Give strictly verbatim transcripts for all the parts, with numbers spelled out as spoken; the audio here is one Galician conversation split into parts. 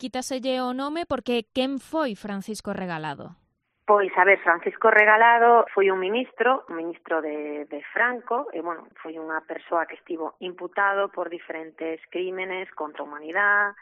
quítaselle o nome porque quen foi Francisco Regalado? Pois, a ver, Francisco Regalado foi un ministro, un ministro de, de Franco, e, bueno, foi unha persoa que estivo imputado por diferentes crímenes contra a humanidade,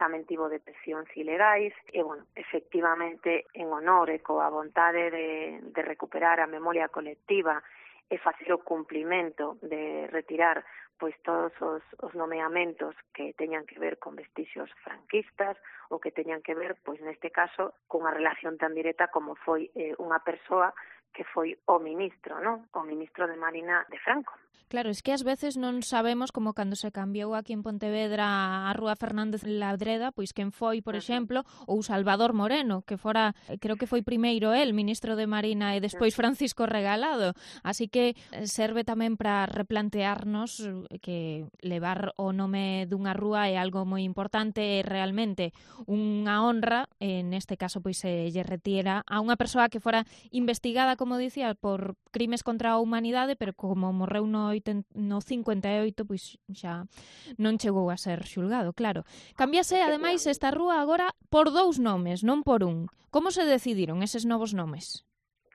tamén tivo detencións ilegais, e, bueno, efectivamente, en honor e coa vontade de, de recuperar a memoria colectiva e facer o cumplimento de retirar pois todos os, os nomeamentos que teñan que ver con vestixios franquistas ou que teñan que ver, pois neste caso, cunha relación tan directa como foi eh, unha persoa que foi o ministro, non? O ministro de Marina de Franco. Claro, es que ás veces non sabemos como cando se cambiou aquí en Pontevedra a Rúa Fernández Ladreda, pois quen foi, por exemplo, ou Salvador Moreno, que fora, creo que foi primeiro el, ministro de Marina, e despois Francisco Regalado. Así que serve tamén para replantearnos que levar o nome dunha rúa é algo moi importante e realmente unha honra, en este caso pois se lle retira a unha persoa que fora investigada, como dicía, por crimes contra a humanidade, pero como morreu no, no cincuenta e oito, pois xa non chegou a ser xulgado, claro. Cambiase, ademais, esta rúa agora por dous nomes, non por un. Como se decidiron eses novos nomes?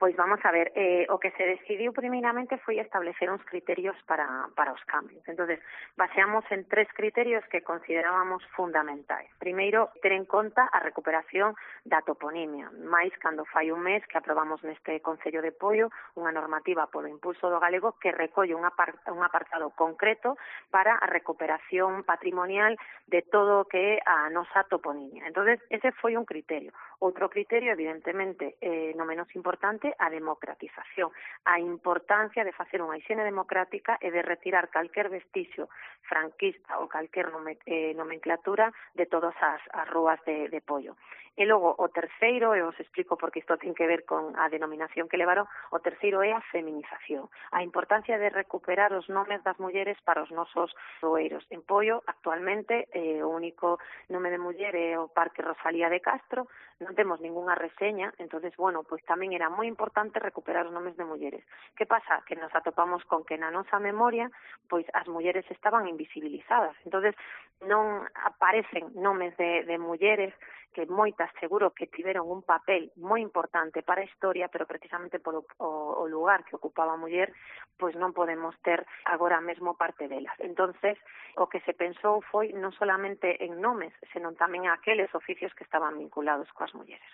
Pois vamos a ver, eh, o que se decidiu primeiramente foi establecer uns criterios para, para os cambios. Entonces, baseamos en tres criterios que considerábamos fundamentais. Primeiro, ter en conta a recuperación da toponimia, máis cando fai un mes que aprobamos neste Concello de Poio unha normativa polo impulso do galego que recolle un, apart un apartado concreto para a recuperación patrimonial de todo o que é a nosa toponimia. Entonces, ese foi un criterio. Outro criterio, evidentemente, eh, no menos importante, a democratización, a importancia de facer unha hixiene democrática e de retirar calquer vestixio franquista ou calquer nome, eh, nomenclatura de todas as, as rúas de, de Poio. E logo, o terceiro, e os explico porque isto ten que ver con a denominación que levaron, o terceiro é a feminización, a importancia de recuperar os nomes das mulleres para os nosos roeiros. En Poio, actualmente, eh, o único nome de muller é o Parque Rosalía de Castro, non temos ningunha reseña, entonces, bueno, pois tamén era moi importante recuperar os nomes de mulleres. Que pasa? Que nos atopamos con que na nosa memoria, pois as mulleres estaban invisibilizadas, entonces non aparecen nomes de, de mulleres que moitas seguro que tiveron un papel moi importante para a historia, pero precisamente polo o, o lugar que ocupaba a muller, pois non podemos ter agora mesmo parte delas. Entonces, o que se pensou foi non solamente en nomes, senón tamén aqueles oficios que estaban vinculados coas mulleres.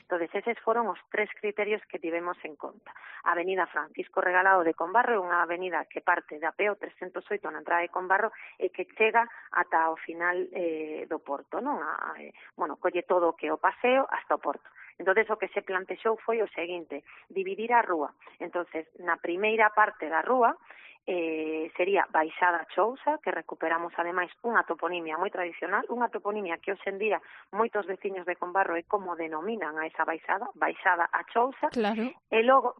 Entonces, eses foron os tres criterios que tivemos en conta. A avenida Francisco Regalado de Combarro é unha avenida que parte da P O trescentos oito na entrada de Combarro e que chega ata o final eh, do porto, non? A, eh, bueno, colle todo o que o paseo hasta o porto. Entonces, o que se plantexou foi o seguinte, dividir a rúa. Entonces, na primeira parte da rúa eh, sería Baixada Chousa, que recuperamos ademais unha toponimia moi tradicional, unha toponimia que hoxe en día moitos veciños de Combarro é como denominan a esa baixada, Baixada a Chousa, claro. E logo,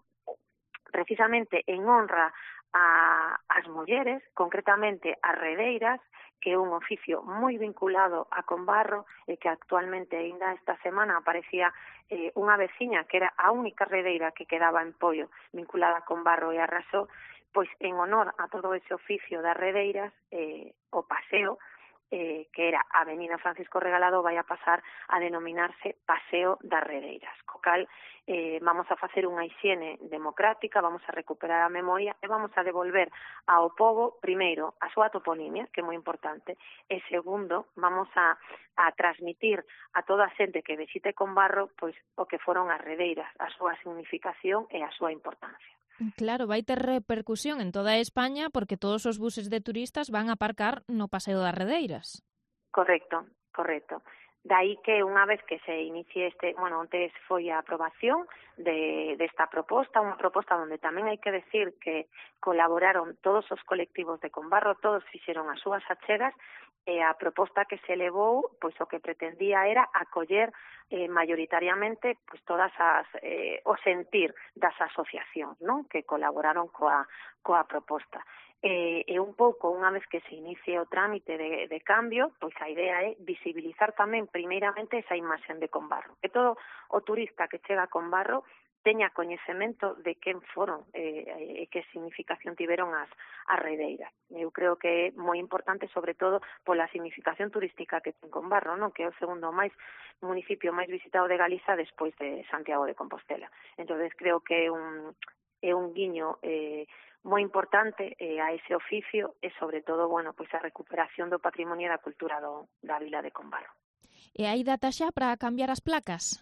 precisamente en honra a as mulleres, concretamente as redeiras, que é un oficio moi vinculado a Combarro e que actualmente, ainda esta semana, aparecía eh, unha veciña que era a única redeira que quedaba en Poio vinculada a Combarro e a Rasó, pois en honor a todo ese oficio das redeiras, eh, o paseo, eh, que era Avenida Francisco Regalado, vai a pasar a denominarse Paseo das Redeiras, co cal eh, vamos a facer unha hixiene democrática, vamos a recuperar a memoria e vamos a devolver ao pobo, primeiro, a súa toponimia, que é moi importante, e segundo, vamos a, a transmitir a toda a xente que visite Combarro pois o que foron as redeiras, a súa significación e a súa importancia. Claro, vai ter repercusión en toda España porque todos os buses de turistas van a aparcar no Paseo das Redeiras. Correcto, correcto. Daí que unha vez que se inicie este, bueno, antes foi a aprobación de desta proposta, unha proposta onde tamén hai que decir que colaboraron todos os colectivos de Combarro, todos fixeron as súas achegas, e a proposta que se elevou, pois o que pretendía era acoller eh, mayoritariamente pois todas as eh, o sentir das asociacións, non? Que colaboraron coa coa proposta. E, e un pouco, unha vez que se inicie o trámite de, de cambio, pois a idea é visibilizar tamén primeiramente esa imaxen de Combarro. Que todo o turista que chega a Combarro teña coñecemento de quen foron e eh, que significación tiveron as, as redeiras. Eu creo que é moi importante, sobre todo, pola significación turística que ten Combarro, non? Que é o segundo máis municipio máis visitado de Galiza despois de Santiago de Compostela. Entonces creo que é un, é un guiño eh, moi importante eh, a ese oficio e, sobre todo, bueno, pois a recuperación do patrimonio e da cultura do, da vila de Combarro. E hai data xa para cambiar as placas?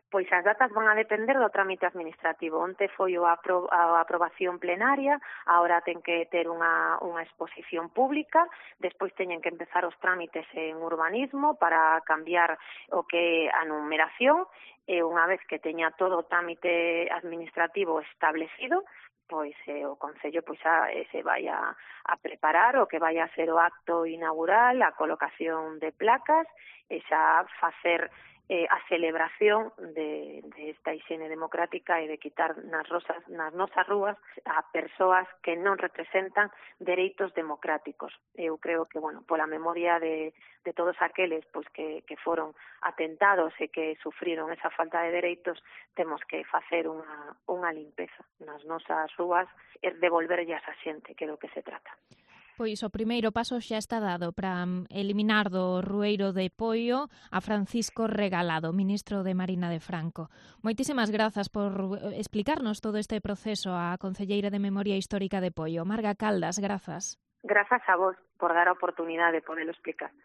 Pois as datas van a depender do trámite administrativo. Onte foi a, apro a aprobación plenaria, agora ten que ter unha, unha exposición pública, despois teñen que empezar os trámites en urbanismo para cambiar o que a numeración, e unha vez que teña todo o trámite administrativo establecido, pois eh, o Concello pois a, eh, se vai a, a preparar o que vai a ser o acto inaugural, a colocación de placas, e xa facer eh, a celebración de, de esta higiene democrática e de quitar nas, rosas, nas nosas rúas a persoas que non representan dereitos democráticos. Eu creo que, bueno, pola memoria de, de todos aqueles pois que, que foron atentados e que sufriron esa falta de dereitos, temos que facer unha, unha limpeza nas nosas rúas e devolverllas a xente, que é do que se trata. Pois o primeiro paso xa está dado para eliminar do Rueiro de Poio a Francisco Regalado, ministro de Marina de Franco. Moitísimas grazas por explicarnos todo este proceso á concelleira de Memoria Histórica de Poio. Marga Caldas, grazas. Grazas a vos por dar a oportunidade de poderlo explicar.